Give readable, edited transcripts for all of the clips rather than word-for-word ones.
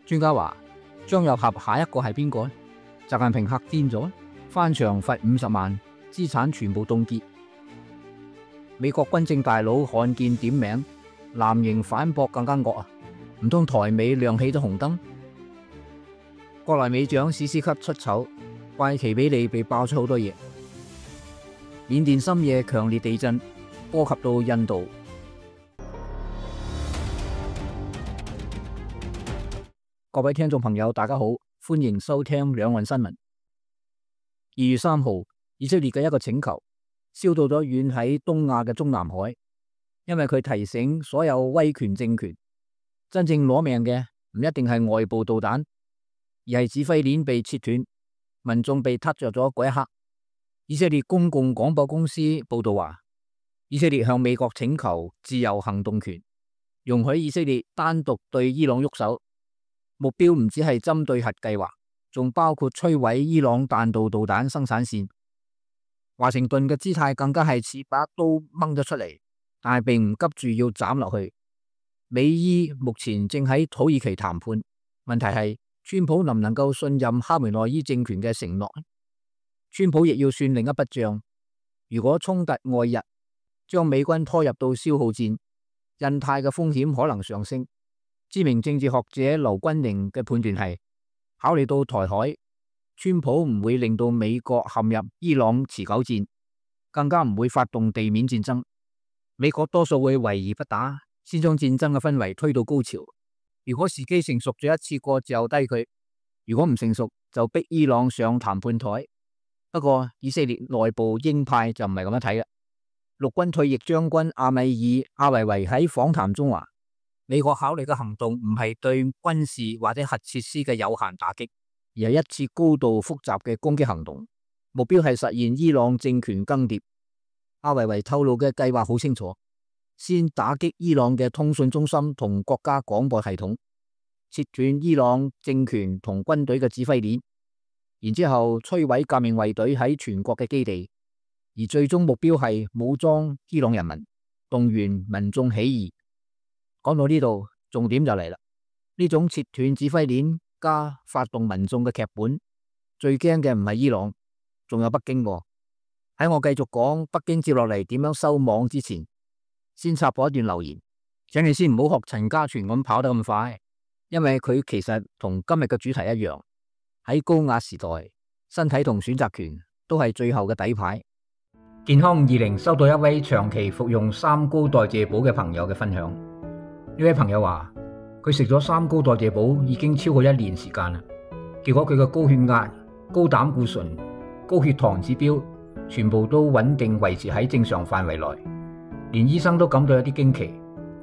專家話張又俠下一個係邊個呢？習近平嚇癲咗，翻牆罰50萬，資產全部凍結。美國軍政大佬罕見點名，藍營反駁更加惡啊！唔通台美亮起咗紅燈？國內美長史斯級出醜，怪奇比利被爆出好多嘢。緬甸深夜強烈地震，波及到印度。各位聽眾朋友，大家好，歡迎收聽兩岸新聞。2月3號，以色列嘅一個請求燒到咗遠喺東亞嘅中南海，因為佢提醒所有威權政權，真正攞命嘅唔一定係外部導彈，而係指揮鏈被切斷，民眾被撻着咗嗰一刻。以色列公共廣播公司報道話，以色列向美國請求自由行動權，容許以色列單獨對伊朗喐手，目標唔只係針對核計劃，仲包括摧毀伊朗彈道導彈生產線。華盛頓嘅姿態更加係似把刀掹咗出嚟，但係並唔急住要斬落去。美伊目前正喺土耳其談判，問題係川普能唔能夠信任哈梅內伊政權嘅承諾？川普亦要算另一筆賬，如果衝突外溢，將美軍拖入到消耗戰，印太嘅風險可能上升。知名政治學者劉君寧嘅判斷係，考慮到台海，川普唔會令到美國陷入伊朗持久戰，更加唔會發動地面戰爭。美國多數會圍而不打，先將戰爭嘅氛圍推到高潮。如果時機成熟咗，一次過就低佢；如果唔成熟，就逼伊朗上談判台。不過以色列內部鷹派就唔係咁樣睇嘅。陸軍退役將軍阿米爾阿維維喺訪談中話，美國考慮嘅行動唔係對軍事或者核設施嘅有限打擊，而係一次高度複雜嘅攻擊行動，目標係實現伊朗政權更迭。阿維維透露嘅計劃好清楚，先打擊伊朗嘅通訊中心同國家廣播系統，切斷伊朗政權同軍隊嘅指揮鏈，然之後摧毀革命衛隊喺全國嘅基地，而最終目標係武裝伊朗人民，動員民眾起義。講到呢度，重點就嚟啦。呢種切斷指揮鏈加發動民眾嘅劇本，最驚嘅唔係伊朗，仲有北京喎。喺我繼續講北京接落嚟點樣收網之前，先插播一段留言，請你先唔好學陳家全咁跑得咁快，因為佢其實同今日嘅主題一樣。喺高壓時代，身體同選擇權都係最後嘅底牌。健康20收到一位長期服用三高代謝寶嘅朋友嘅分享。呢位朋友話，佢食咗三高代謝寶已經超過1年時間啦，結果佢嘅高血壓、高膽固醇、高血糖指標全部都穩定維持喺正常範圍內，連醫生都感到有啲驚奇，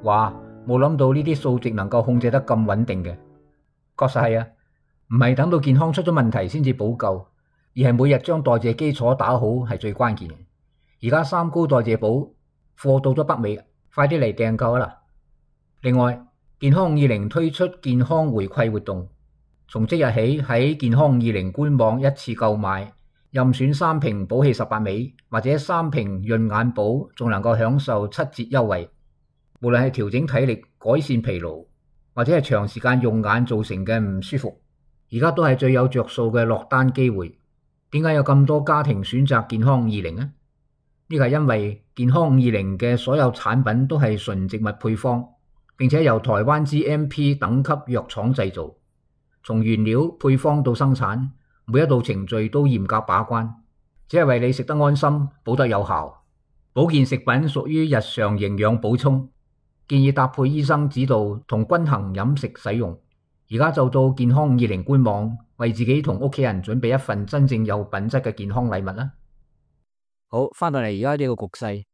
話冇諗到呢啲數值能夠控制得咁穩定嘅。確實係啊。唔係等到健康出咗問題先至補救，而係每日將代謝基礎打好係最關鍵嘅。而家三高代謝寶貨到咗北美，快啲嚟訂購啦！另外，健康20推出健康回饋活動，從即日起喺健康20官網一次購買，任選3瓶補氣18味或者3瓶潤眼寶，仲能夠享受7折優惠。無論係調整體力、改善疲勞，或者係長時間用眼造成嘅唔舒服，而家都係最有着數嘅落單機會。點解有咁多家庭選擇健康20呢？呢個係因為健康20嘅所有產品都係純植物配方，並且由台灣 GMP 等級藥廠製造，從原料配方到生產，每一道程序都嚴格把關，只係為你食得安心，補得有效。保健食品屬於日常營養補充，建議搭配醫生指導同均衡飲食使用。而家就到健康20官網，為自己同屋企人準備一份真正有品質嘅健康禮物啦。好，翻到嚟而家呢個局勢，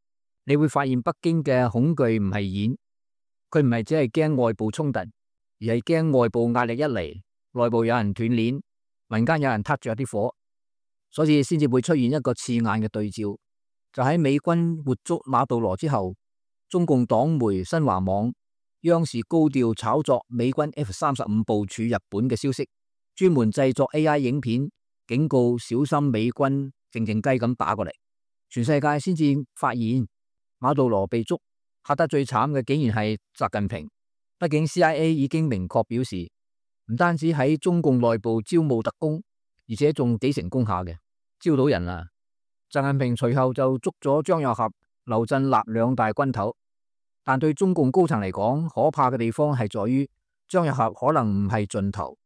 你會發現北京嘅恐懼唔係演，佢唔係只係驚外部衝突，而係驚外部壓力一嚟，內部有人斷鏈，民間有人撻着啲火，所以先至會出現一個刺眼嘅對照。就喺美軍活捉馬杜羅之後，中共黨媒新華網、央視高調炒作美軍 F-35部署日本嘅消息，專門製作 AI 影片，警告小心美軍靜靜雞咁打過嚟。全世界先至發現馬杜羅被捉，嚇得最慘嘅竟然係習近平。畢竟 CIA 已經明確表示，唔單止喺中共內部招募特工，而且仲幾成功下嘅，招到人啦。習近平隨後就捉咗張又俠、劉振立兩大軍頭，但對中共高層嚟講，可怕嘅地方係在於張又俠可能唔係盡頭。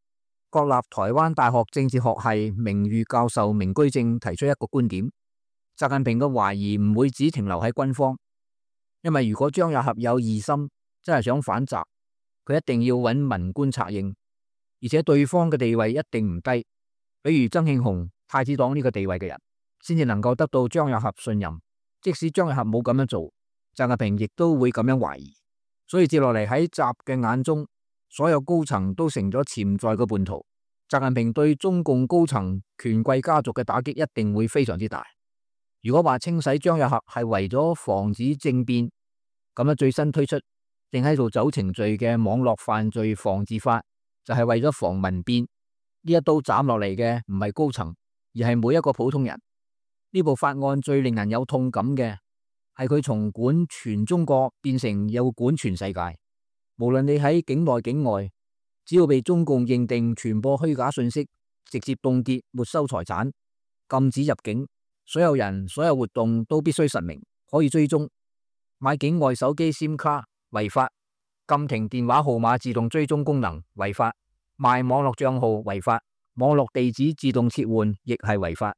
國立台灣大學政治學系名譽教授明居正提出一個觀點：習近平嘅懷疑唔會只停留喺軍方，因為如果張又俠有異心，真係想反習，佢一定要揾文官策應，而且對方嘅地位一定唔低，比如曾慶紅、太子黨呢個地位嘅人，先至能夠得到張又俠信任。即使張又俠冇咁樣做，習近平亦都會咁樣懷疑。所以接落嚟喺習嘅眼中，所有高層都成咗潛在嘅叛徒。習近平對中共高層權貴家族嘅打擊一定會非常之大。如果話清洗張又俠係為咗防止政變，咁樣最新推出正喺度走程序嘅網絡犯罪防治法，就係為咗防民變。呢一刀斬落嚟嘅唔係高層，而係每一個普通人。呢部法案最令人有痛感嘅係佢從管全中國變成要管全世界。無論你喺境內境外，只要被中共認定傳播虛假信息，直接凍結沒收財產，禁止入境，所有人所有活動都必須實名，可以追蹤。買境外手機 SIM 卡違法，禁停電話號碼自動追蹤功能違法，賣網絡賬號違法，網絡地址自動切換亦係違法。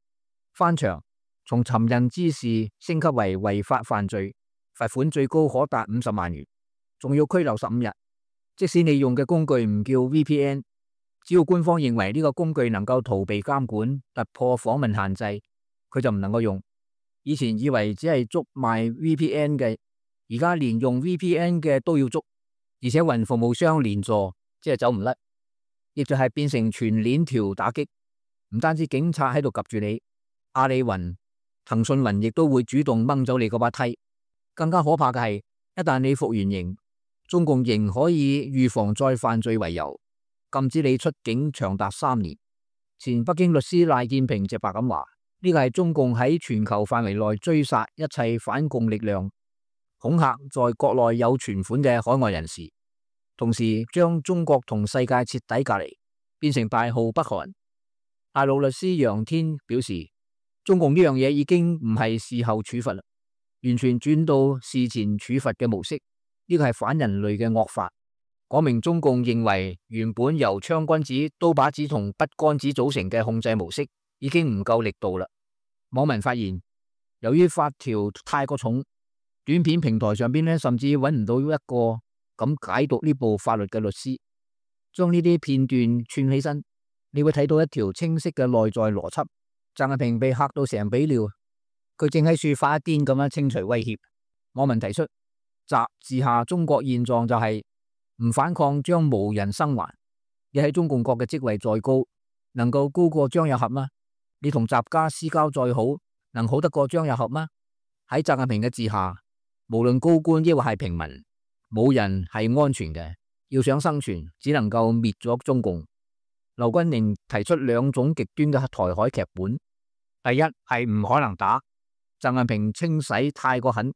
翻牆從尋釁滋事升級為違法犯罪，罰款最高可達50萬元，仲要拘留15日。即使你用嘅工具唔叫 VPN， 只要官方認為呢個工具能夠逃避監管、突破訪問限制，佢就唔能夠用。以前以為只係捉賣 VPN 嘅，而家連用 VPN 嘅都要捉，而且雲服務商連坐，即係走唔甩，亦就係變成全鏈條打擊。唔單止警察喺度及住你，阿里雲、騰訊雲亦都會主動掹走你嗰把梯。更加可怕嘅係，一旦你服完刑，中共仍可以預防再犯罪為由，禁止你出境長達3年。前北京律師賴建平直白咁話：呢個係中共喺全球範圍內追殺一切反共力量，恐嚇在國內有存款嘅海外人士，同時將中國同世界徹底隔離，變成大號北韓。大陸律師楊天表示，中共呢樣嘢已經唔係事後處罰啦，完全轉到事前處罰嘅模式。呢個係反人類嘅惡法，講明中共認為原本由槍君子、刀把子同筆桿子組成嘅控制模式已經唔夠力度啦。網民發現，由於法條太過重，短片平台上邊甚至揾唔到一個咁解讀呢部法律嘅律師，將呢啲片段串起身，你會睇到一條清晰嘅內在邏輯。習近平被嚇到成比尿，佢正喺處發一癲咁樣清除威脅。網民提出，習治下中國現狀就係唔反抗將無人生還。你喺中共國嘅職位再高，能夠高過張又俠嗎？你同習家私交再好，能好得過張又俠嗎？喺習近平嘅治下，無論高官抑或係平民，冇人係安全嘅。要想生存，只能夠滅咗中共。劉軍寧提出2種極端嘅台海劇本：第一係唔可能打，習近平清洗太過狠，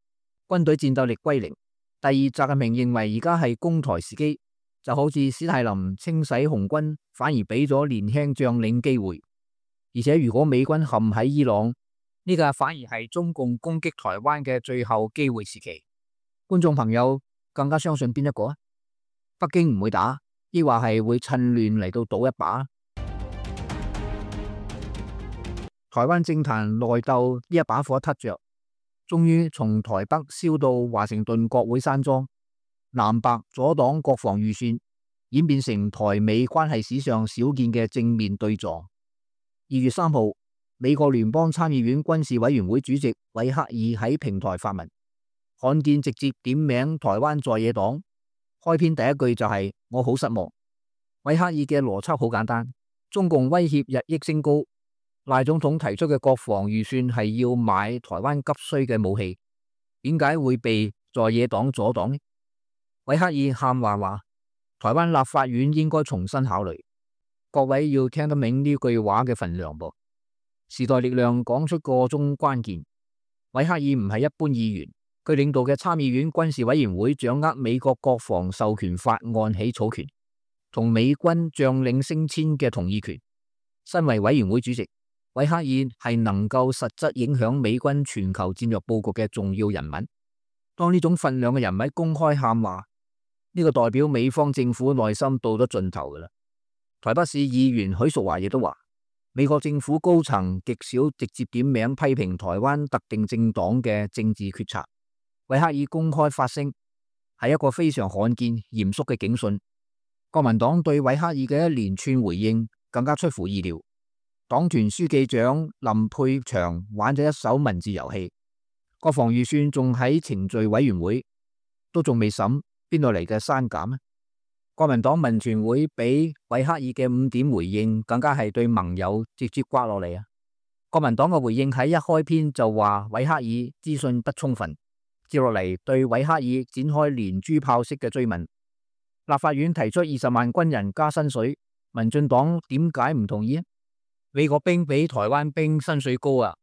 軍隊戰鬥力歸零；第二，習近平認為而家係攻台時機，就好似史太林清洗紅軍，反而俾咗年輕將領機會。而且如果美軍陷喺伊朗，呢個反而係中共攻擊台灣嘅最後機會時期。觀眾朋友更加相信邊一個啊？北京唔會打，抑或係會趁亂嚟到賭一把？台灣政壇內鬥呢一把火撻着，終於從台北燒到華盛頓國會山莊，藍白左黨國防預算演變成台美關係史上少見嘅正面對撞。2月3號，美國聯邦參議院軍事委員會主席韋克爾喺平台發文，罕見直接點名台灣在野黨，開篇第一句就係我好失望。韋克爾嘅邏輯好簡單，中共威脅日益升高，賴總統提出嘅國防預算係要買台灣急需嘅武器，點解會被在野黨阻擋呢？韋克爾喊話，台灣立法院應該重新考慮。各位要聽得明呢句話嘅分量噃。時代力量講出個中關鍵，韋克爾唔係一般議員，佢領導嘅參議院軍事委員會掌握美國國防授權法案起草權。同美軍將領升遷嘅同意權。身為委員會主席，韋克爾係能夠實質影響美軍全球戰略佈局嘅重要人物。當呢種份量嘅人物公開喊話，呢個代表美方政府內心到咗盡頭噶啦。台北市議員許淑華亦都話，美國政府高層極少直接點名批評台灣特定政黨嘅政治決策。韋克爾公開發聲係一個非常罕見嚴肅嘅警訊。國民黨對韋克爾嘅一連串回應更加出乎意料。黨團書記長林佩祥玩咗一手文字遊戲，國防預算仲喺程序委員會，都仲未審，邊度嚟嘅刪減呢？國民黨文傳會比韋克爾嘅5點回應更加係對盟友直接刮落嚟啊！國民黨嘅回應喺一開篇就話韋克爾資訊不充分，接落嚟對韋克爾展開連珠炮式嘅追問。立法院提出20萬軍人加薪水，民進黨點解唔同意啊？美國兵比台灣兵薪水高啊！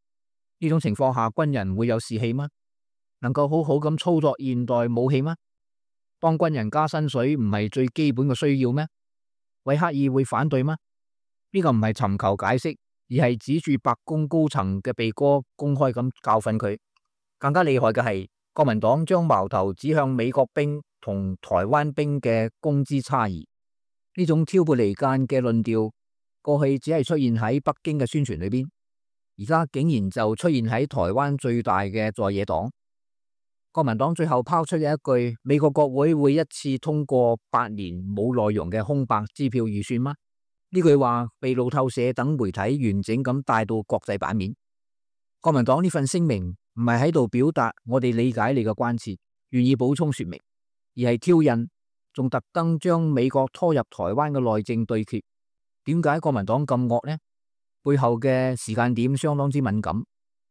呢種情況下，軍人會有士氣嗎？能夠好好咁操作現代武器嗎？當軍人加薪水唔係最基本嘅需要咩？韋克爾會反對嗎？呢個唔係尋求解釋，而係指住白宮高層嘅鼻哥，公開咁教訓佢。更加厲害嘅係，國民黨將矛頭指向美國兵同台灣兵嘅工資差異。呢種挑撥離間嘅論調，過去只係出現喺北京嘅宣傳裏邊，而家竟然就出現喺台灣最大嘅在野黨。國民黨最後拋出嘅一句，美國國會會一次通過8年冇內容嘅空白支票預算嗎？呢句話被路透社等媒體完整咁帶到國際版面。國民黨呢份聲明唔係喺度表達我哋理解你嘅關切，願意補充說明，而係挑釁，仲特登將美國拖入台灣嘅內政對決。點解國民黨咁惡呢？背後嘅時間點相當之敏感。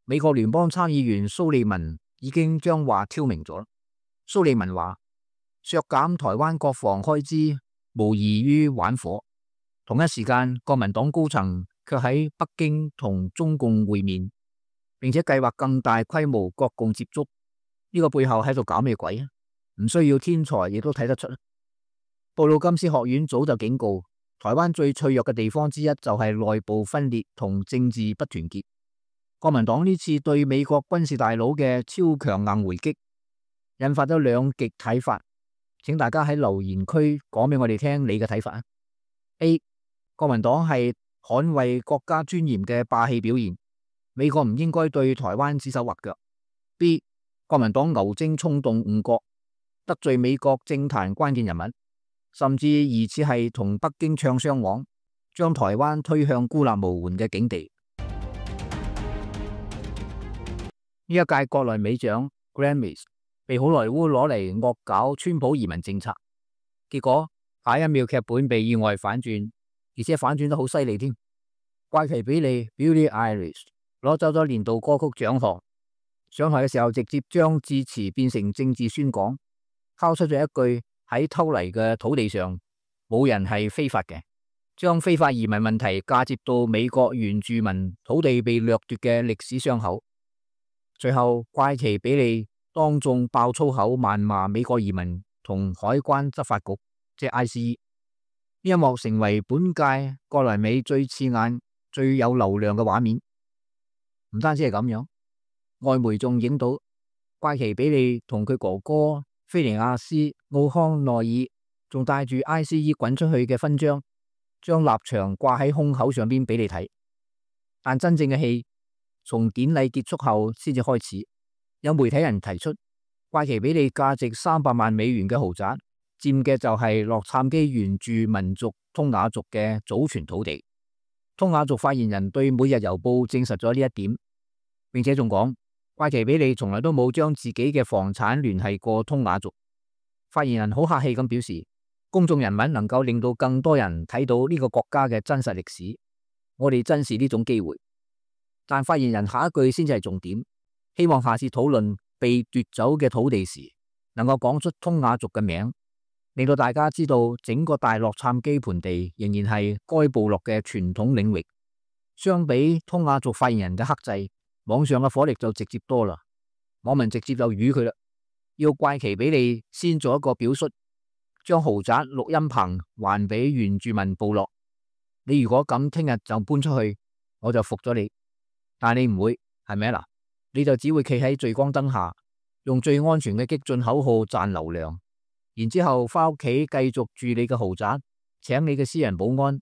美國聯邦參議員蘇利文已經將話挑明咗。蘇利文話，削減台灣國防開支無異於玩火。同一時間，國民黨高層卻喺北京同中共會面，並且計劃更大規模國共接觸。呢個背後喺度搞咩鬼啊？唔需要天才亦都睇得出。布魯金斯學院早就警告，台灣最脆弱嘅地方之一就係內部分裂同政治不團結。國民黨呢次對美國軍事大佬嘅超強硬回擊，引發咗兩極睇法。請大家喺留言區講俾我哋聽你嘅睇法。A. 國民黨係捍衛國家尊嚴嘅霸氣表現，美國唔應該對台灣指手畫腳。B. 國民黨牛精衝動誤國，得罪美國政壇關鍵人物，甚至疑似係同北京唱雙簧，將台灣推向孤立無援嘅境地。呢一屆國內美獎 Grammys 被好萊塢攞嚟惡搞川普移民政策，結果下一秒劇本被意外反轉，而且反轉得好犀利添。怪奇比利 Billie Eilish 攞走咗年度歌曲獎項，上台嘅時候直接將致辭變成政治宣講，拋出咗一句喺偷嚟嘅土地上冇人係非法嘅，將非法移民問題嫁接到美國原住民土地被掠奪嘅歷史傷口。最後怪奇比利當眾爆粗口謾罵美國移民同海關執法局，即係 ICE。呢一幕成為本屆國內美最刺眼、最有流量嘅畫面。唔單止係咁樣，外媒仲影到怪奇比利同佢哥哥菲尼亞斯奧康內爾仲帶住 ICE 滾出去嘅勳章，將立場掛喺胸口上邊俾你睇。但真正嘅戲從典禮結束後先至開始。有媒體人提出，怪奇比利價值300萬美元嘅豪宅，佔嘅就係洛杉磯原住民族通雅族嘅祖傳土地。通雅族發言人對每日郵報證實咗呢一點，並且仲講怪奇比利從來都冇將自己嘅房產聯繫過通雅族。發言人好客氣咁表示，公眾人物能夠令到更多人睇到呢個國家嘅真實歷史，我哋珍視呢種機會。但發言人下一句先至係重點，希望下次討論被奪走嘅土地時，能夠講出通雅族嘅名，令到大家知道整個大洛杉磯盆地仍然係該部落嘅傳統領域。相比通雅族發言人嘅克制，網上嘅火力就直接多啦。網民直接就語佢啦，要怪奇比利先做一個表率，將豪宅錄音棚還俾原住民部落。你如果咁聽日就搬出去，我就服咗你。但你唔會，係咪啊？嗱，你就只會企喺聚光燈下，用最安全嘅激進口號賺流量，然之後翻屋企繼續住你嘅豪宅，請你嘅私人保安。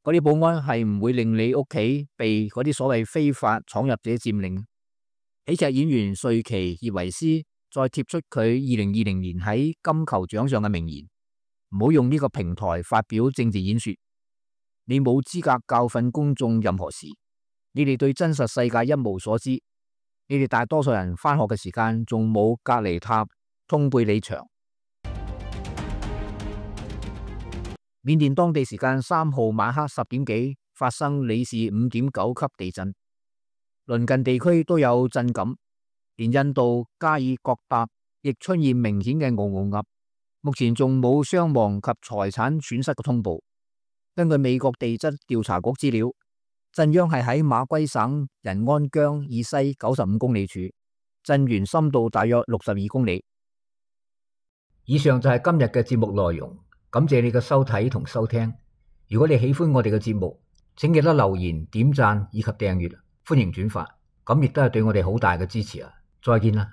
嗰啲保安係唔會令你屋企被嗰啲所謂非法闖入者佔領。喜劇演員瑞奇葉維斯再貼出佢2020年喺金球獎上嘅名言：唔好用呢個平台發表政治演說，你冇資格教訓公眾任何事，你哋對真實世界一無所知，你哋大多數人返學嘅時間仲冇隔離塔通貝里牆。緬甸當地時間3號晚黑10點幾發生里氏5.9級地震，鄰近地區都有震感，連印度加爾各答亦出現明顯嘅嗷嗷噏。目前仲冇傷亡及財產損失嘅通報。根據美國地質調查局資料，震央係喺馬圭省仁安羌以西95公里處，震源深度大約62公里。以上就係今日嘅節目內容。感謝你嘅收睇同收聽。如果你喜歡我哋嘅節目，請記得留言、點讚以及訂閱，歡迎轉發，咁亦都係對我哋好大嘅支持啊！再見啦。